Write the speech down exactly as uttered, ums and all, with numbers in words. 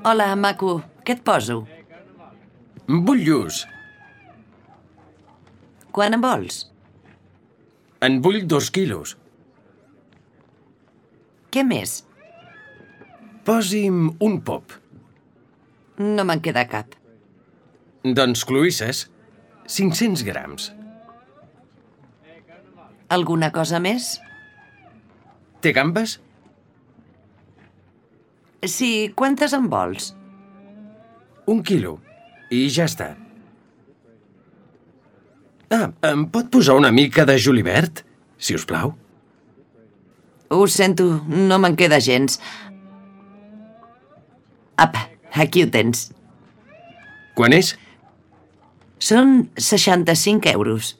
Hola, maco. Què et poso? Vull lluç. Quan en vols? En vull dos quilos. Què més? Posi'm un pop. No me'n queda cap. Doncs cloïsses. cinc-cents grams. Alguna cosa més? Té gambes? Sí, quantes en vols? Un quilo. I ja està. Ah, em pot posar una mica de julivert, si us plau? Ho sento, no me'n queda gens. Apa, aquí ho tens. Quan és? Són seixanta-cinc euros.